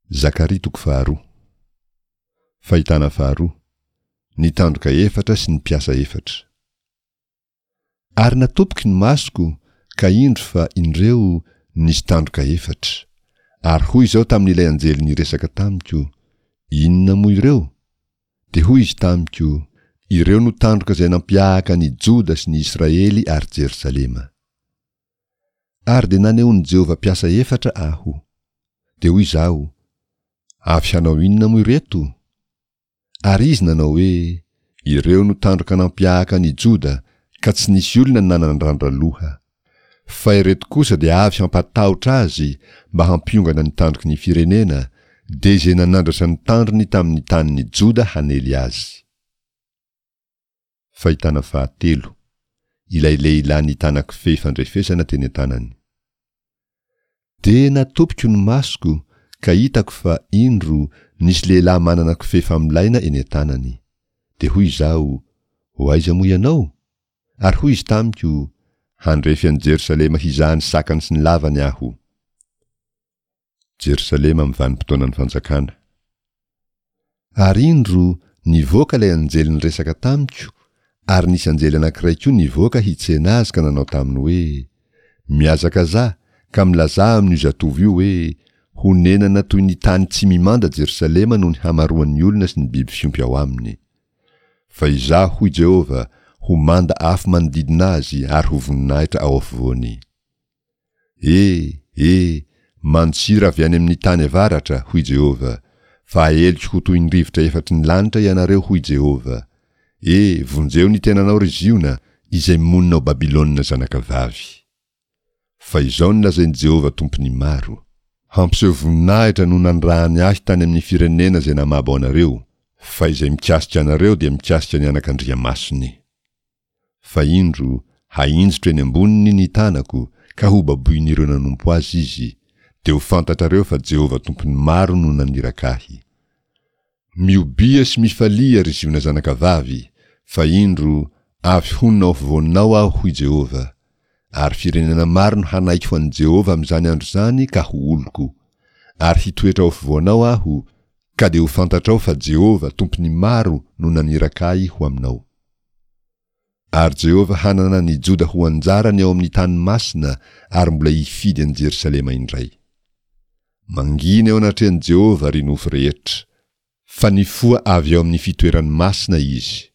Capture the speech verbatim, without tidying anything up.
Zakaria toko faharoa. Fahitana faharoa. Ny tandroka efatra sy ny mpiasa efatra. Ary natopiko ny masoko, ka indro fa indreo nisy tandroka efatra. Ary hoy izao tamin'ilay anjely niresaka tamiko, Inona moa ireo? Dia hoy izy tamiko, Ireo no tandroka izay nampiahaka ny Joda sy ny Israely ary Jerosalema. Ary dia nanehoan'i Jehovah mpiasa efatra aho. Dia hoy izaho, Avy hanao inona moa ireto? Ary izy nanao hoe, Ireo no tandroka nampiahaka an' i Joda, ka tsy nisy olona nanandrandra loha. Fa ireto kosa dia avy hampatahotra azy mba hampiongana ny tandroky ny firenena, dia izay nanandratra ny tandrony tamin' ny tanin' i Joda hanely azy. Fahitana fahatelo, Ilay lehilahy nitana kofehy fandrefesana teny an-tanany. Dia natopiko ny masoko, ka hitako fa, indro, nisy lehilahy manana kofehy famolaina eny an-tanany. Dia hoy izaho, Ho aiza moa ianao? Ary hoy izy tamiko, Handrefy an'i Jerosalema hizaha ny sakany sy ny lavany aho. Jerosalema amin'ny vanim-potoanan'ny fanjakana. Ary indro, nivoaka ilay anjely niresaka tamiko, ary nisy anjely anankiray koa nivoaka hitsena azy ka nanao taminy hoe, Mihazakazaha, ka milazà amin'io zatovo io hoe, Honenana toy ny tany tsy mimanda Jerosalema noho ny hamaroan'ny olona sy ny biby fiompy ao aminy. Fa Izaho, hoy Jehovah, ho manda afo manodidina azy ary ho voninahitra ao afovoany. E, e, mandosira avy any amin'ny tany avaratra, hoy Jehovah, fa aheliko ho toy ny rivotra efatry ny lanitra ianareo, hoy Jehovah. E, vonjeo ny tenanao, ry Ziona, izay monina ao Babylona zanakavavy. Fa izao no lazain'i Jehovah Tompon'ny maro, Hampiseho voninahitra no nanirahany ahy tany amin'ny firenena izay namabo anareo, fa izay mikasika anareo dia mikasika ny anakandriamasony. Fa indro, hahinjitro eny amboniny ny tanako, ka hobaboin'ireo nanompo azy izy, dia ho fantatrareo fa Jehovah Tompon'ny maro no naniraka ahy. Miobia sy mifalia, ry Ziona zanakavavy, fa indro, avy honina ao afovoanao Aho, hoy Jehovah. Ary firenena maro no hanaiky ho an'i Jehovah amin'izany andro izany ka ho oloko. Ary hitoetra ao afovoanao Aho, ka dia ho fantatrao fa Jehovah, Tompon'ny maro, no naniraka ahy ho aminao. Ary Jehovah hanana ny Joda ho anjarany ao amin'ny tany masina ary mbola hifidy an'i Jerosalema indray. Mangina eo anatrehan'i Jehovah, ry nofo rehetra. Fa nifoha avy ao amin'ny fitoerany masina izy.